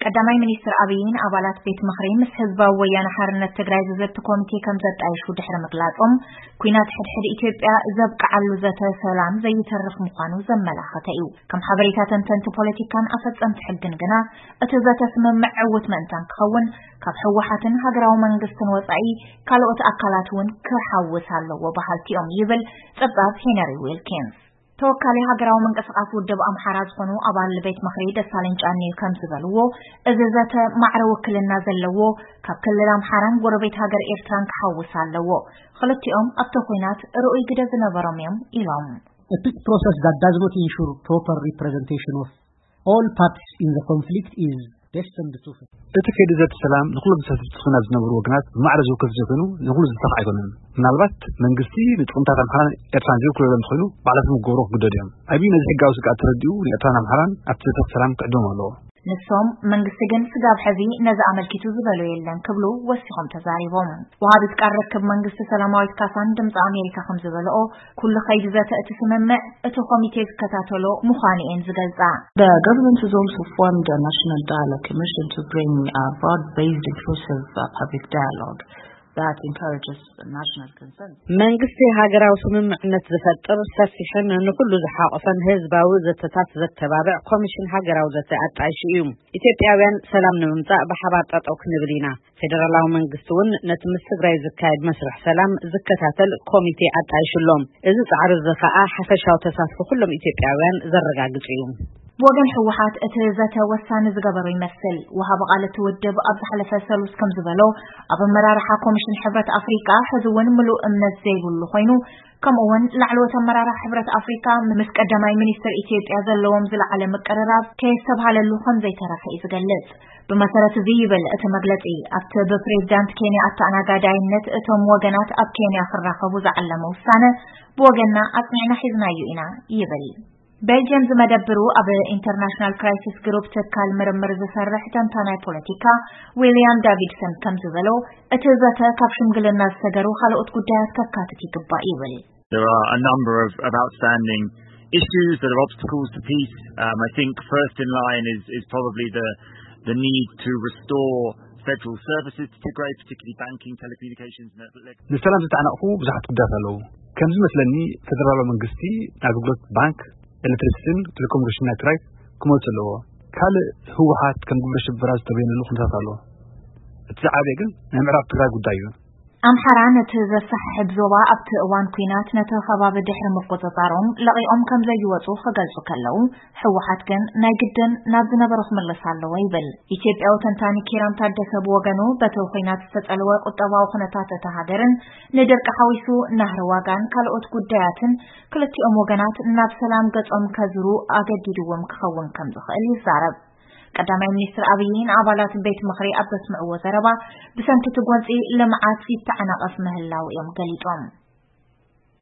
ቀዳማይ ሚኒስትር ኣብይን ኣባላት ቤት ምኽሪ ምስ ህዝባዊ ወያነ ሓርነት ትግራይ ዝዘቲ ኮሚቴ ከም ዘጣየሹ ድሕሪ ምግላጾም፣ ኲናት ሕድሕድ ኢትዮጵያ ዘብቅዓሉ ዘተ ሰላም ዘይተርፍ ምዃኑ ዘመላኸተ እዩ። ከም ሓበሬታ ተንተንቲ ፖለቲካን ኣፈጸምቲ ሕግን ግና፣ እቲ ዘተ ስምምዕ ዕውት ምእንታን ክኸውን፣ ካብ ህወሓትን ሃገራዊ መንግስትን ወጻኢ ካልኦት ኣካላት እውን ክሓውስ ኣለዎ በሃልቲ እዮም ይብል ጸብጻብ ሄነሪ ዊልኪንስ። ተወካሊ ሃገራዊ ምንቅስቃስ ውድብ ኣምሓራ ዝኾኑ ኣባል ቤት ምኽሪ ደሳለኝ ጫኔ ከም ዝበልዎ፣ እዚ ዘተ ማዕረ ውክልና ዘለዎ ካብ ክልል ኣምሓራን ጎረቤት ሃገር ኤርትራን ክሓውስ ኣለዎ። ክልቲኦም ኣብቲ ኲናት ርኡይ ግደ ዝነበሮም እዮም ኢሎም። A peace process that does not ensure proper representation of all parties in the conflict is destined to fail. እቲ ከይዲ ዘተ ሰላም ንኹሎም ተሳተፍቲ ኲናት ዝነበሩ ወገናት ብማዕረ ዝውክል ዘይኮይኑ ንኹሉ ዝሳኽ ኣይኮነን። ምናልባት መንግስቲ ንጥቕምታት ኣምሓራን ኤርትራን ዘይውክለሎም እንተኾይኑ ባዕላቶም ክገብርዎ ክግደዱ እዮም። ኣብዩ ነዚ ሕጋዊ ስግኣት ተረዲኡ ንኤርትራን ኣምሓራን ኣብቲ ዘተ ሰላም ክዕድሞም ኣለዎ። ንሶም መንግስቲ ግን ስጋብ ሕዚ ነዚ ኣመልኪቱ ዝበሎ የለን ክብሉ ወሲኾም ተዛሪቦም። ወሃቢት ቃል ርክብ መንግስቲ ሰላማዊት ካሳን ድምፂ ኣሜሪካ ከም ዝበልኦ፣ ኩሉ ከይዲ ዘተ እቲ ስምምዕ እቲ ኮሚቴ ዝከታተሎ ምዃኑ እየን ዝገልጻ። The government has also formed a national dialogue commission to bring a broad-based inclusive uh, public dialogue that encourages national consensus. መንግስቲ ሃገራዊ ስምምዕነት ዝፈጥር ሰፊሕን ንኩሉ ዝሓቆፈን ህዝባዊ ዘተታት ዘተባብዕ ኮሚሽን ሃገራዊ ዘተ ኣጣይሹ እዩ። ኢትዮጵያውያን ሰላም ንምምጻእ ብሓባር ጠጠው ክንብል ኢና። ፌደራላዊ መንግስቲ እውን ነቲ ምስ ትግራይ ዝካየድ መስርሕ ሰላም ዝከታተል ኮሚቴ ኣጣይሹሎም። እዚ ጻዕሪ እዚ ከኣ ሓፈሻዊ ተሳትፎ ኩሎም ኢትዮጵያውያን ዘረጋግጽ እዩ። ብወገን ህወሓት እቲ ዘተ ወሳኒ ዝገበሮ ይመስል። ወሃቢ ቃል እቲ ውድብ ኣብ ዝሓለፈ ሰሉስ ከም ዝበሎ፣ ኣብ ኣመራርሓ ኮሚሽን ሕብረት ኣፍሪቃ ሕዚ እውን ምሉእ እምነት ዘይብሉ ኮይኑ፣ ከምኡ እውን ላዕለዎት ኣመራርሓ ሕብረት ኣፍሪቃ ምስ ቀዳማይ ሚኒስትር ኢትዮጵያ ዘለዎም ዝለዓለ ምቅርራብ ከየስተብሃለሉ ከም ዘይተረፈ እዩ ዝገልጽ። ብመሰረት እዚ ይብል እቲ መግለጺ፣ ኣብቲ ብፕሬዝዳንት ኬንያ ኣተኣናጋዳይነት እቶም ወገናት ኣብ ኬንያ ክራኸቡ ዝዓለመ ውሳነ ብወገንና ኣጽኒዕና ሒዝናዮ ኢና ይብል። ቤልጅየም ዝመደብሩ ኣብ ኢንተርናሽናል ክራይሲስ ግሩፕ ትካል ምርምር ዝሰርሕ ተንታናይ ፖለቲካ ዊልያም ዳቪድሰን ከም ዝበሎ፣ እቲ ዘተ ካብ ሽምግልና ዝሰገሩ ካልኦት ጉዳያት ከካትት ይግባእ ይብል። There are a number of, of outstanding issues that are obstacles to peace. Um, I think first in line is, is probably the, the need to restore federal services to Tigray, particularly banking, telecommunications and electric. ንሰላም ዝተዓናቕፉ ብዙሓት ጉዳያት ኣለዉ። ከም ዝመስለኒ ፌደራላዊ መንግስቲ ንኣገልግሎት ባንክ፣ ኤሌክትሪሲቲን ቴሌኮሙኒኬሽን ናይ ትግራይ ክመልሱ ኣለዎ። ካልእ ህወሓት ከም ግብረ ሽበራ ዝተበየነሉ ኩነታት ኣሎ። እቲ ዝዓበየ ግን ናይ ምዕራብ ትግራይ ጉዳይ እዩ። ኣምሓራ ነቲ ዘሰሓሕብ ዞባ ኣብቲ እዋን ኲናት ነቲ ከባቢ ድሕሪ ምቁጽጻሮም ለቒቖም ከም ዘይወጹ ክገልጹ ከለዉ፣ ህወሓት ግን ናይ ግድን ናብ ዝነበሮ ክምለስ ኣለዎ ይብል። ኢትዮጵያዊ ተንታኒ ኪራም ታደሰ ብወገኑ፣ በቲ ኲናት ዝተጸልወ ቁጠባዊ ኩነታት እታ ሃገርን ንድርቂ ሓዊሱ ናህሪ ዋጋን ካልኦት ጉዳያትን ክልቲኦም ወገናት ናብ ሰላም ገጾም ከዝሩ ኣገዲድዎም ክኸውን ከም ዝኽእል ይዛረብ። ቀዳማይ ሚኒስትር ኣብይ ንኣባላት ቤት ምኽሪ ኣብ ዘስምዕዎ ዘረባ፣ ብሰንኪ እቲ ጎንጺ ልምዓት ይተዓናቐፍ ምህላው እዮም ገሊጾም።